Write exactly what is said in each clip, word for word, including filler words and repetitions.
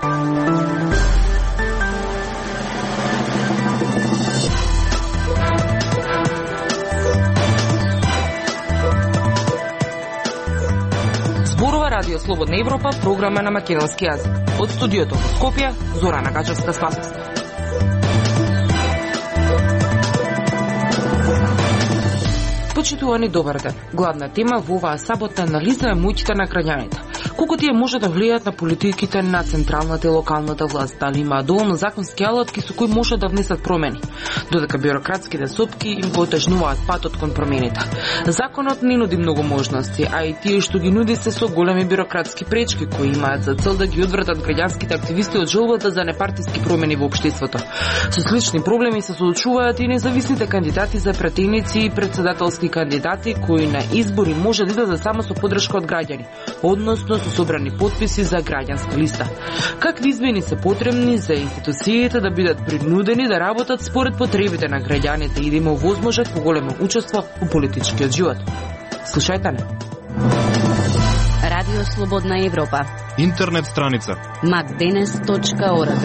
Радио Слободна Европа, програма на македонски јазик. Од студиото во Скопје, Зорана Гачевска-Спасовска. Почитувани, добар ден. Главна тема во оваа саботна анализа е моќта на граѓаните. Колку тие може да влијаат на политиките на централната и локалната власт, дали има доволно законски алатки со кои може да внесат промени, додека бюрократските сопки им го отежнуваат патот кон промените. Законот не нуди многу можности, а и тие што ги нуди се со големи бюрократски пречки кои имаат за цел да ги одвратат граѓанските активисти од желбата за непартиски промени во општеството. Со слични проблеми се соочуваат и независните кандидати за пратеници и председателски кандидати кои на избори може да идат само со поддршка од граѓани, односно со собрани потписи за граѓанска листа. Какви измени се потребни за институциите да бидат принудени да работат според потребите на граѓаните и да има возможност поголемо учество во политичкиот живот? Слушајте не. Радио Слободна Европа. Интернет страница макденес точка орг.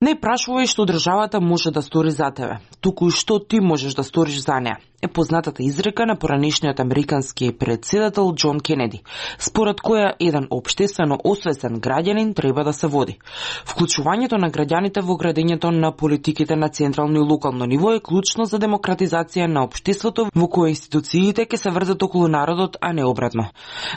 Не прашувај што државата може да стори за тебе, туку и што ти можеш да сториш за неа, е познатата изрека на поранешниот американски претседател Џон Кенеди, според која еден општествено освесен граѓанин треба да се води. Вклучувањето на граѓаните во градењето на политиките на централно и локално ниво е клучно за демократизација на општеството во кое институциите ќе се вртат околу народот, а не обратно.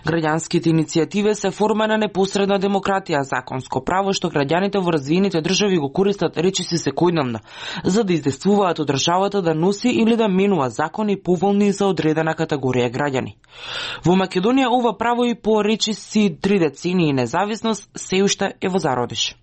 Граѓанските иницијативи се форма на непосредна демократија, законско право што граѓаните во развиените држави го користат речиси секојдневно, за да издействуваат од државата да носи или да менува закони поволни за одредена категорија граѓани. Во Македонија ова право и по речиси три децении независност се уште е во зародиш.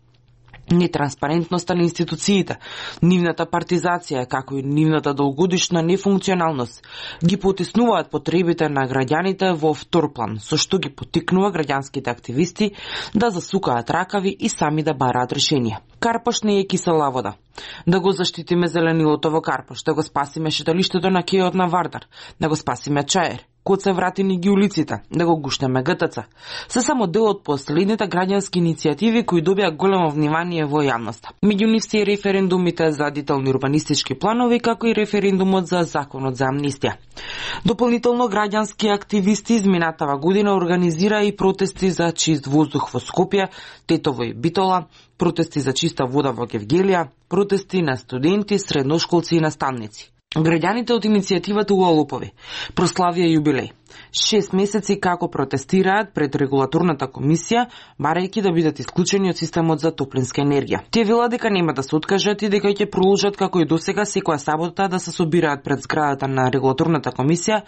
Нетранспарентноста на институциите, нивната партизација, како и нивната долгогодишна нефункционалност ги потиснуваат потребите на граѓаните во втор план, со што ги поттикнува граѓанските активисти да засукаат ракави и сами да бараат решенија. Карпош не е кисела вода. Да го заштитиме зеленилото во Карпош, да го спасиме шеталиштето на кејот на Вардар, да го спасиме Чаер, код се вратини ги улиците, да го гушнеме ГТЦ. Се само дел од последните граѓански иницијативи кои добија големо внимание во јавноста. Меѓу нив се и референдумите за детални урбанистички планови, како и референдумот за законот за амнистија. Дополнително граѓански активисти изминатава година организира и протести за чист воздух во Скопје, Тетово и Битола, протести за чиста вода во Гевгелија, протести на студенти, средношколци и наставници. Граѓаните од иницијативата Уалупови прославија јубилеј. Шест месеци како протестираат пред регулаторната комисија, барајќи да бидат исклучени од системот за топлинска енергија. Тие велат дека нема да се откажат и дека ќе продолжат како и досега секоја сабота да се собираат пред зградата на регулаторната комисија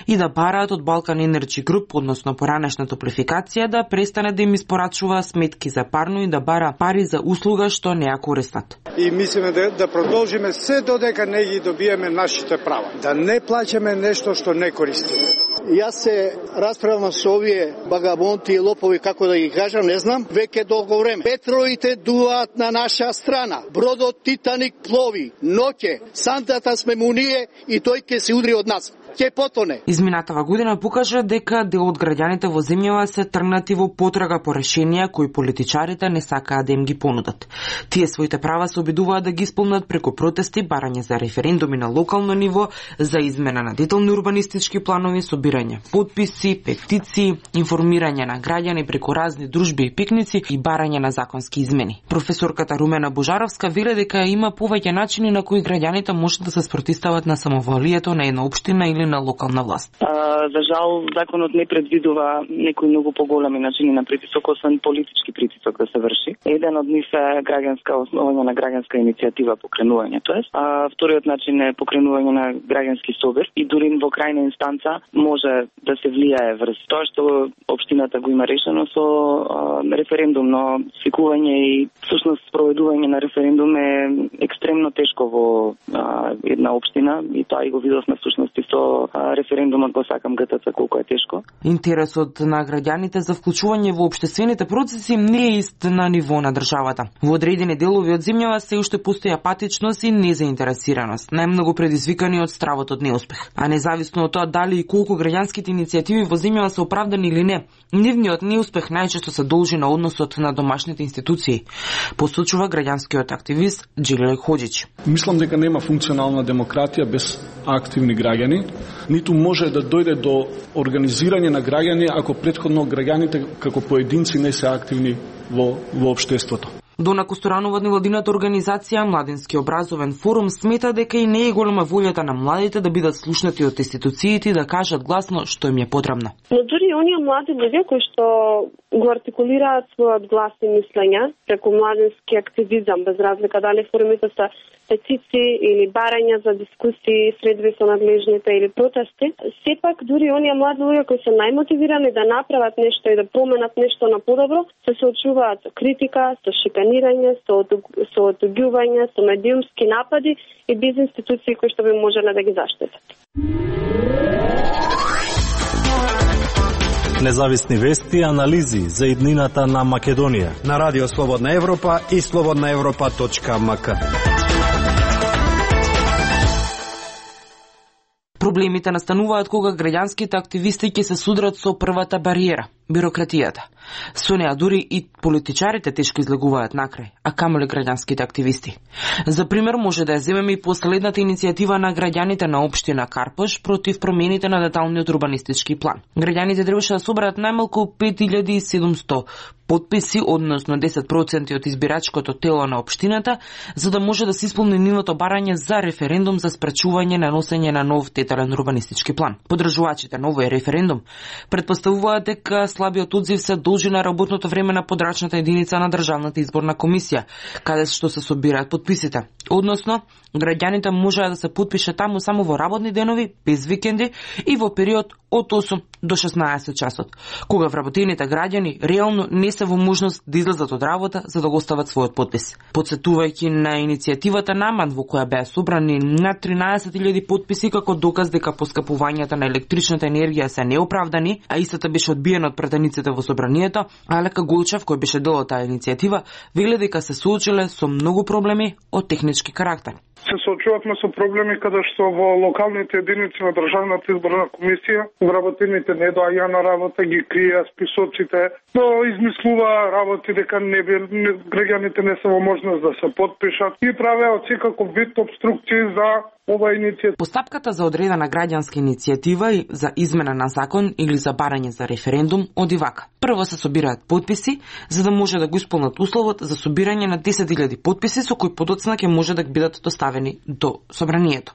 и да бараат од Балкан Енерджи Груп, односно поранешна топлификација, да престане да им испорачува сметки за парно и да бара пари за услуга што не ја користат. И мислиме да, да продолжиме се додека не ги добиеме нашите права. Да не плаќаме нешто што не користиме. Јас се расправам со овие багабонти и лопови, како да ги кажам, не знам, веќе долго време. Петровите дуваат на наша страна. Бродот Титаник плови, ноќе, сантата сме му ние и тој ќе се удри од нас. Ќе потоне. Изминатава година покажа дека дел од граѓаните во земјава се тргнати во потрага по решенија кои политичарите не сакаат да им ги понудат. Тие своите права се обидуваат да ги исполнат преку протести, барање за референдуми на локално ниво, за измена на детални урбанистички планови, собирање потписи, петиции, информирање на граѓани преку разни дружби и пикници и барање на законски измени. Професорката Румена Божаровска вели дека има повеќе начини на кои граѓаните можат да се спротистават на самоволието на една општина или на локална власт. А, за жал, законот не предвидува некои многу поголеми начини на притисок, освен политички притисок да се врши. Еден од нив е граѓанска основање на граѓанска иницијатива покренување, тоест. А вториот начин е покренување на граѓански собир и дури во крајна инстанца може да се влијае врз тоа што општината го има решено со а, референдум, но свикување и всушност спроведување на референдум е екстремно тешко во а, една општина и тоа и го видовме всушност и со референдумот го сакам ГТЦ колку е тешко. Интересот на граѓаните за вклучување во општествените процеси не е ист на ниво на државата. Во одредени делови од земјава се уште постои апатичност и незаинтересираност, најмногу предизвикани од стравот од неуспех. А независно од тоа дали и колку граѓанските иницијативи во земјава се оправдани или не, нивниот неуспех најчесто се должи на односот на домашните институции, посочува граѓанскиот активист Джиле Хоџич. Мислам дека нема функционална демократија без активни граѓани, ниту може да дојде до организирање на граѓани ако претходно граѓаните како поединци не се активни во, во општеството. Дона Костуранова од невладината организација Младински образовен форум смета дека и не е голема волјата на младите да бидат слушнати од институциите и да кажат гласно што им е потребно. Но дури оние млади луѓе кои што го артикулираат својот глас и мислења преку младински активизам, без разлика дали форумите се петиции или барања за дискусии, средби со надлежните или протести, сепак дури оние млади луѓе кои се најмотивирани да направат нешто и да променат нешто на подобро, се соочуваат со критика, со шиканирање, со со отуѓување, со медиумски напади и без институции кои што би можеле да ги заштитат. Независни вести и анализи за иднината на Македонија на Радио Слободна Европа и слободна европа точка ем ка. Проблемите настануваат кога граѓанските активисти ќе се судрат со првата бариера – бирократијата. Со неа дури и политичарите тешко излегуваат накрај, а камоли граѓанските активисти. За пример може да ја земеме и последната иницијатива на граѓаните на општина Карпош против промените на деталниот урбанистички план. Граѓаните требаше да соберат најмалку пет илјади и седумсто потписи, односно десет проценти од избирачкото тело на општината, за да може да се исполни нивното барање за референдум за спречување на носење на нов детален урбанистички план. Подржувачите на овој референдум претпоставуваат дека слабиот одзив се должи на работното време на подрачната единица на Државната изборна комисија, каде што се собираат потписите. Односно, граѓаните можеа да се потпише таму само во работни денови, без викенди и во период од осум до шеснаесет часот, кога вработените граѓани реално не се во можност да излезат од работа за да го остават својот потпис. Подсетувајќи на иницијативата Наман, во која беа собрани над тринаесет илјади потписи како доказ дека поскапувањата на електричната енергија се неоправдани, а истата беше одбиена од претениците во собранието, Алека Голчев, кој беше дел од таа иницијатива, вели дека се соочиле со многу проблеми од технички карактер. Се соочувавме со проблеми каде што во локалните единици на Државната изборна комисија вработените не доаѓаа на работа, ги криеа списоците, но измислуваа работи дека не бил граѓаните не се во можност да се потпишат и правеа секаков вид обструкции за ова иницијатива. Постапката за одредена граѓанска иницијатива и за измена на закон или за барање за референдум оди вака. Прво се собираат потписи за да може да го исполнат условот за собирање на десет илјади потписи со кои подоцна ќе може да бидат доставени до собранието.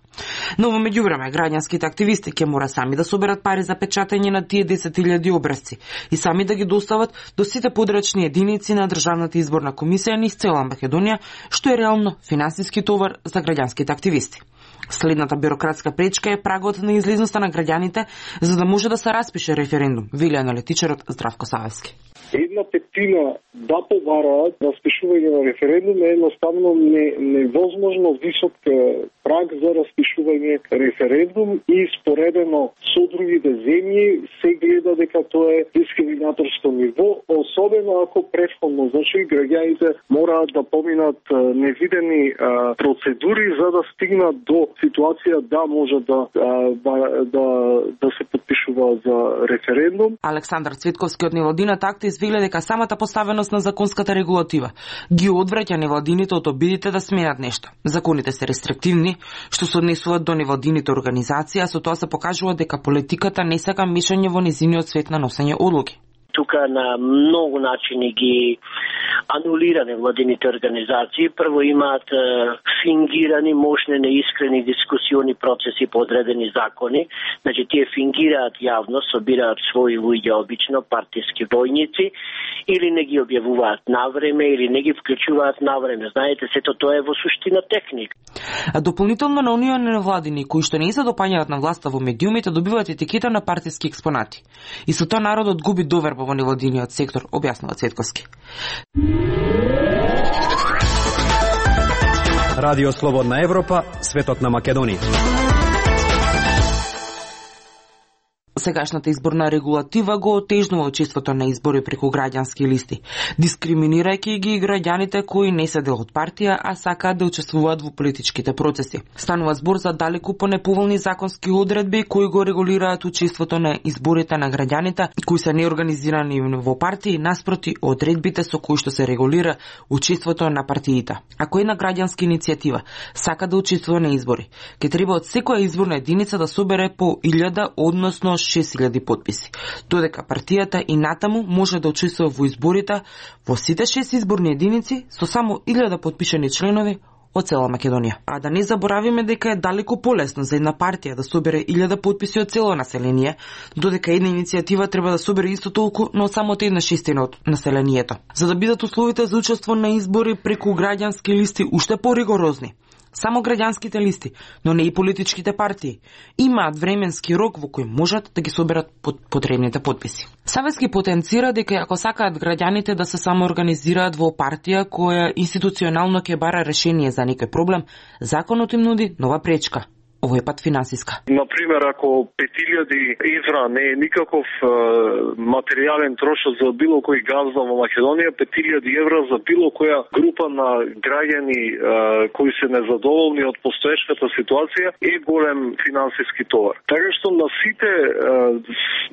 Но во меѓувреме граѓанските активисти ќе мора сами да соберат пари за печатање на тие десет илјади образци и сами да ги достават до сите подрачни единици на Државната изборна комисија низ цела Македонија, што е реално финансиски товар за граѓанските активисти. Следната бюрократска пречка е прагот на излезноста на граѓаните за да може да се распише референдум, вели аналитичарот Здравко Савевски. Една петина да побараат распишување на референдум е едноставно не, невозможно висок праг за распишување референдум и споредено со другите земји се гледа дека тоа е дискриминаторско ниво, особено ако претходно, значи граѓаните мораат да поминат невидени а, процедури за да стигнат до ситуација да може да да, да, да се подпишува за референдум. Александар Цветковски од невладината акта извели дека самата поставеност на законската регулатива ги одвраќа невладините од обидите да сменат нешто. Законите се рестриктивни, што се однесуваат до невладините организации, а со тоа се покажува дека политиката не сака мешање во незиниот свет на носење одлуки. Тука на многу начини ги анулира невладините организации. Прво имаат е, фингирани, мощни, неискрени дискусиони процеси по одредени закони. Значи, тие фингираат јавно, собираат своји луѓе, обично партиски војници, или не ги објавуваат навреме, или не ги вклучуваат навреме. Знаете, сето тоа е во суштина техника. А дополнително на оние невладини кои што не се допаѓаат на власта во медиумите добиваат етикета на партиски експонати. И со тоа народот губи доверба во невладиниот сектор, објаснува Цветковски. Радио Слободна Европа, светот на Македонија. Досегашната изборна регулатива го отежнува учеството на избори преку граѓански листи, дискриминирајќи ги граѓаните кои не се дел од партија, а сакаат да учествуваат во политичките процеси. Станува збор за далеку понеповолни законски одредби кои го регулираат учеството на изборите на граѓаните кои се неорганизирани во партии, наспроти одредбите со кои што се регулира учеството на партиите. Ако една граѓанска иницијатива сака да учествува на избори, ќе треба од секоја изборна единица да собере по илјада, односно шест илјади потписи. Додека партијата и натаму може да учествува во изборите во сите шест изборни единици со само илјада потпишани членови од цела Македонија. А да не заборавиме дека е далеку полесно за една партија да собере илјада потписи од цело население, додека една иницијатива треба да собере исто толку, но само од една шестина од населението. За да бидат условите за учество на избори преку граѓански листи уште поригорозни, само граѓанските листи, но не и политичките партии, имаат временски рок во кој можат да ги соберат потребните потписи. Савески потенцира дека ако сакаат граѓаните да се самоорганизираат во партија која институционално ќе бара решение за некој проблем, законот им нуди нова пречка. Овој пат финансиска. Например, ако пет илјади евра не е никаков е, материјален трошок за било кој газда во Македонија, пет илјади евра за било која група на граѓани е, кои се незадоволни од постоешката ситуација е голем финансиски товар. Така што на сите е,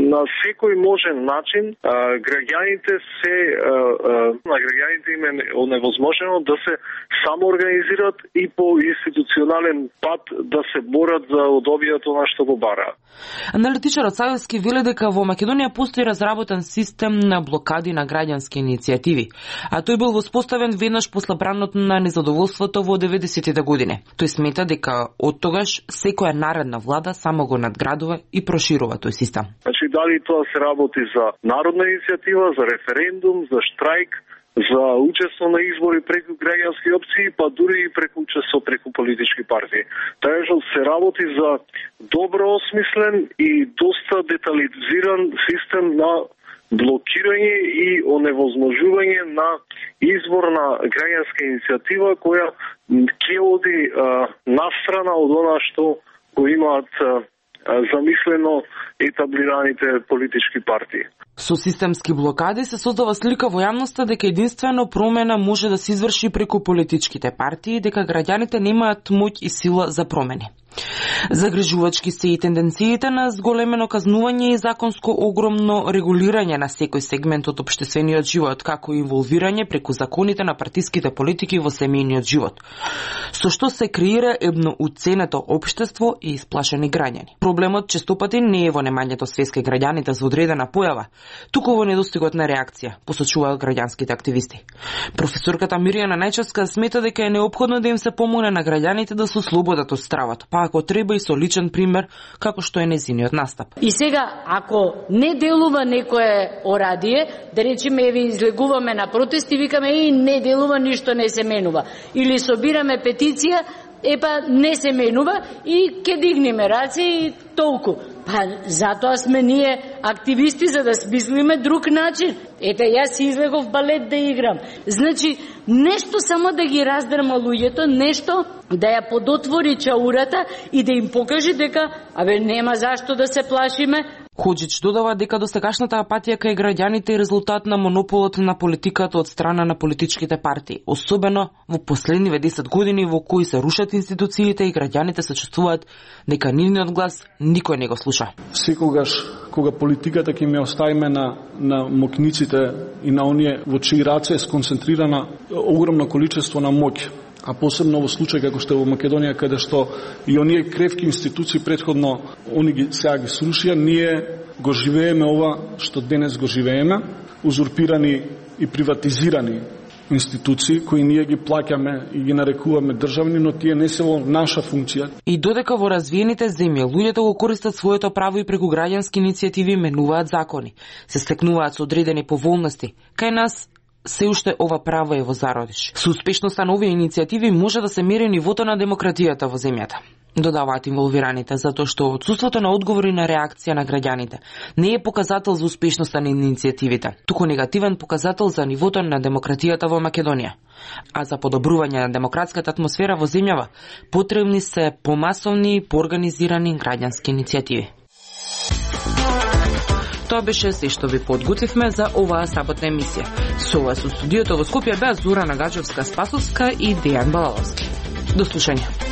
на секој можен начин е, граѓаните се е, е, на граѓаните им е невозможно да се самоорганизираат и по институционален пат да се борат за удобието на што го бараат. Аналитичарот Савевски вели дека во Македонија постои разработен систем на блокади на граѓански иницијативи, а тој бил воспоставен веднаш после бранот на незадоволството во деветдесетите години. Тој смета дека од тогаш секоја наредна влада само го надградува и проширува тој систем. Значи дали тоа се работи за народна иницијатива, за референдум, за штрајк, за учество на избори преку граѓански опции, па дури и преку учество преку политички партии. Така што се работи за добро осмислен и доста детализиран систем на блокирање и оневозможување на избор на граѓанска иницијатива која ќе оди настрана од она што го имаат замислено етаблираните политички партии. Со системски блокади се создава слика во јавноста дека единствено промена може да се изврши преку политичките партии, дека граѓаните немаат моќ и сила за промени. Загрижувачки се и тенденциите на зголемено казнување и законско огромно регулирање на секој сегмент од општествениот живот, како и инволвирање преку законите на партиските политики во семејниот живот, со што се креира едно уценето општество и исплашени граѓани. Проблемот честопати не е во немањето свест кај граѓаните за одредена појава, туку во недостигот на реакција, посочуваат граѓанските активисти. Професорката Мирјана Најчевска смета дека е неопходно да им се помогне на граѓаните да се ослободат од стравот, па ако треба и со личен пример, како што е незиниот настап. И сега, ако не делува некое орадие, да речеме, еве излегуваме на протести, викаме и не делува, ништо не се менува. Или собираме петиција, епа не се менува и ке дигнеме раце и толку. Па затоа сме ние активисти за да смислиме друг начин. Ете, јас си излегов балет да играм. Значи, нешто само да ги раздрма луѓето, нешто да ја подотвори чаурата и да им покаже дека, абе, нема зашто да се плашиме. Ходжич додава дека досегашната апатија кај граѓаните е резултат на монополот на политиката од страна на политичките партии, особено во последниве десет години во кои се рушат институциите и граѓаните се чувствуваат дека нивниот глас никој не го слуша. Секогаш кога политиката ќе ме оставиме на на мокниците и на оние во чии раце е сконцентрирана огромно количество на моќ, а посебно во случај како што е во Македонија, каде што и оние кревки институции предходно они ги сега ги срушија, ние го живееме ова што денес го живееме, узурпирани и приватизирани институции кои ние ги плаќаме и ги нарекуваме државни, но тие не се во наша функција. И додека во развиените земји луѓето го користат своето право и преку граѓански иницијативи менуваат закони, се стекнуваат со одредени поволности, кај нас се уште ова право е во зародиш. Со успешноста на овие иницијативи може да се мери нивото на демократијата во земјата, додаваат инволвираните, затоа што отсуството на одговори на реакција на граѓаните не е показател за успешноста на иницијативите, туку негативен показател за нивото на демократијата во Македонија. А за подобрување на демократската атмосфера во земјава потребни се помасовни и поорганизирани граѓански иницијативи. Тоа беше се што ви подготвивме за оваа саботна емисија. Со вас со студиото во Скопје беа Зора Нагаджовска-Спасовска и Дејан Балаловски. До слушање.